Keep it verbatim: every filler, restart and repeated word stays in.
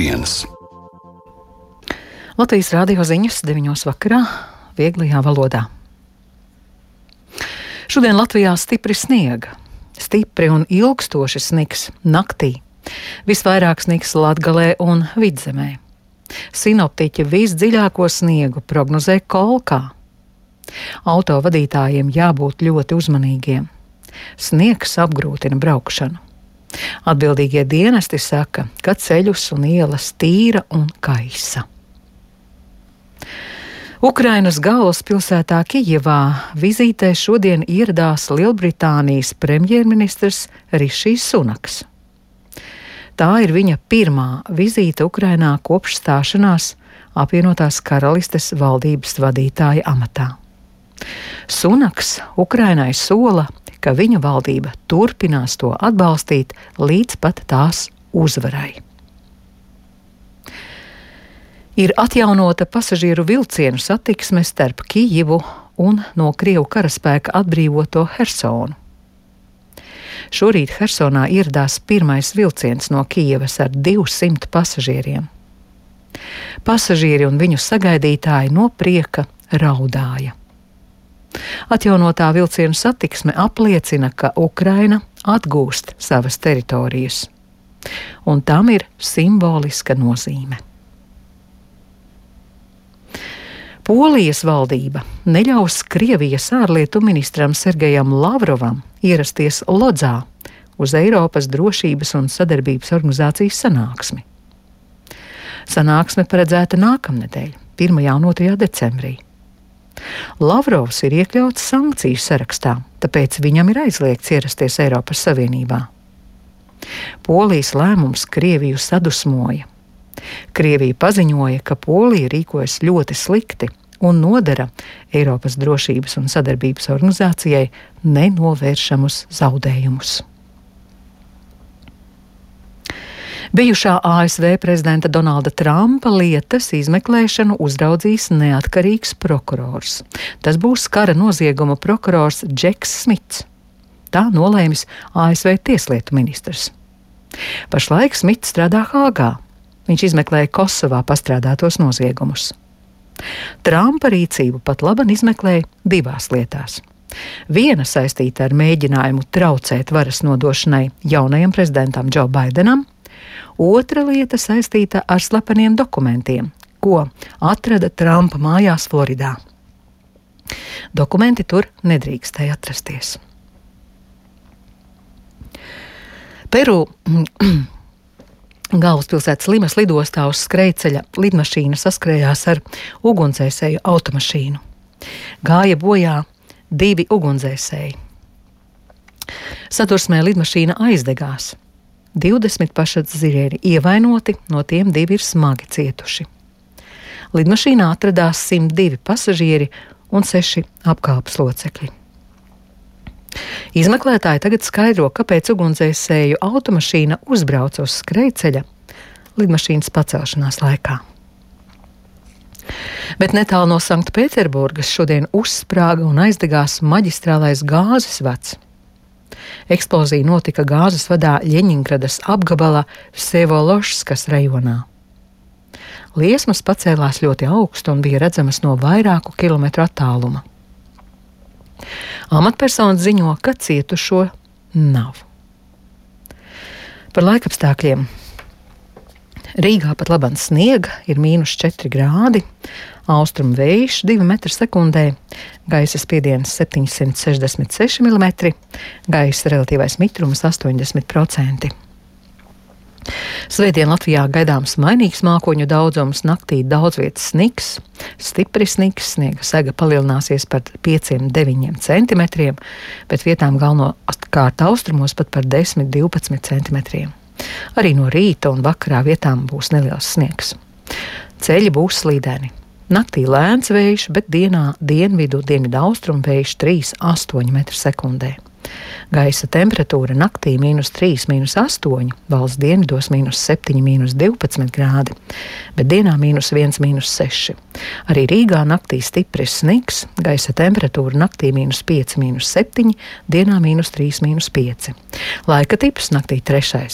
viens. Latvijas rādio ziņas deviņos vakarā vieglajā valodā. Šodien Latvijā stipri sniega. Stipri un ilgstoši snigs naktī. Visvairāk snigs Latgalē un Vidzemē. Sinoptiķi visdziļāko sniegu prognozē Kolkā. Autovadītājiem jābūt ļoti uzmanīgiem. Sniegs apgrūtina braukšanu. Atbildīgie dienesti saka, ka ceļus un ielas tīra un kaisa. Ukrainas galvaspilsētā Kijevā vizītē šodien ieradās Lielbritānijas premjerministrs Rišijs Sunaks. Tā ir viņa pirmā vizīte Ukrainā kopš stāšanās apvienotās karalistes valdības vadītāja amatā. Sunaks Ukrainai sola, ka viņa valdība turpinās to atbalstīt līdz pat tās uzvarai. Ir atjaunota pasažieru vilcienu satiksme starp Kijivu un no Krievu karaspēka atbrīvoto Hersonu. Šorīt Hersonā ieradās pirmais vilciens no Kijevas ar divsimt pasažieriem. Pasažieri un viņu sagaidītāji no prieka raudāja. Atjaunotā vilcienu satiksme apliecina, ka Ukraina atgūst savas teritorijas, un tam ir simboliska nozīme. Polijas valdība neļaus Krievijas ārlietu ministram Sergejam Lavrovam ierasties Lodzā uz Eiropas drošības un sadarbības organizācijas sanāksmi. Sanāksme paredzēta nākamnedēļ, pirmajā un otrajā decembrī. Lavrovs ir iekļauts sankciju sarakstā, tāpēc viņam ir aizliegts ierasties Eiropas Savienībā. Polijas lēmums Krieviju sadusmoja. Krievija paziņoja, ka Polija rīkojas ļoti slikti un nodara Eiropas drošības un sadarbības organizācijai nenovēršamus zaudējumus. Bijušā A S V prezidenta Donalda Trumpa lietas izmeklēšanu uzraudzīs neatkarīgs prokurors. Tas būs kara nozieguma prokurors Džeks Smits. Tā nolēmis A S V tieslietu ministrs. Pašlaik Smits strādā Hāgā. Viņš izmeklēja Kosovā pastrādātos noziegumus. Trumpa rīcību pat laban izmeklēja divās lietās. Viena saistīta ar mēģinājumu traucēt varas nodošanai jaunajam prezidentam Džo Baidenam, otra lieta saistīta ar slepeniem dokumentiem, ko atrada Trumpa mājās Floridā. Dokumenti tur nedrīkstēja atrasties. Peru galvaspilsētas Limas lidostā uz skrejceļa lidmašīna saskrējās ar ugunsdzēsēju automašīnu. Gāja bojā divi ugunsdzēsēji. Sadursmē lidmašīna aizdegās. divdesmit pasažieri ievainoti, no tiem divi ir smagi cietuši. Lidmašīnā atradās simt divi pasažieri un seši apkalpes locekļi. Izmeklētāji tagad skaidro, kāpēc ugunsdzēsēju automašīna uzbrauca uz skrejceļa lidmašīnas pacelšanās laikā. Bet netālu no Sanktpēterburgas šodien uzsprāga un aizdegās maģistrālais gāzes vads. Eksplozija notika gāzes vadā Ļeņingradas apgabala Vsevoložskas rajonā. Liesmas pacēlās ļoti augstu un bija redzamas no vairāku kilometru attāluma. Amatpersonas ziņo, ka cietušo nav. Par laikapstākļiem. Rīgā pat laban sniega, ir mīnus četri grādi, austrumu vējš divi metri sekundē, gaisa spiediens septiņsimt sešdesmit seši milimetri, gaisa relatīvais mitrums astoņdesmit procenti. Svētdien Latvijā gaidāms mainīgs mākoņu daudzums, naktī daudz vietas snigs, stipri snigs, sniega sega palielināsies par pieciem līdz deviņiem centimetriem, bet vietām galvenokārt austrumos pat par desmit līdz divpadsmit centimetriem. Arī no rīta un vakarā vietām būs neliels sniegs. Ceļi būs slīdeni. Naktī lēns vējš, bet dienā dienvidu, dienvidu austrumu vējš trīs līdz astoņi metri sekundē. Gaisa temperatūra naktī mīnus trīs, mīnus astoņi, valsts dienvidos mīnus septiņi, mīnus divpadsmit grādi, bet dienā mīnus viens, mīnus seši. Arī Rīgā naktī stipris snigs, gaisa temperatūra naktī mīnus pieci, mīnus septiņi, dienā mīnus trīs, mīnus pieci. Laika tips naktī trešais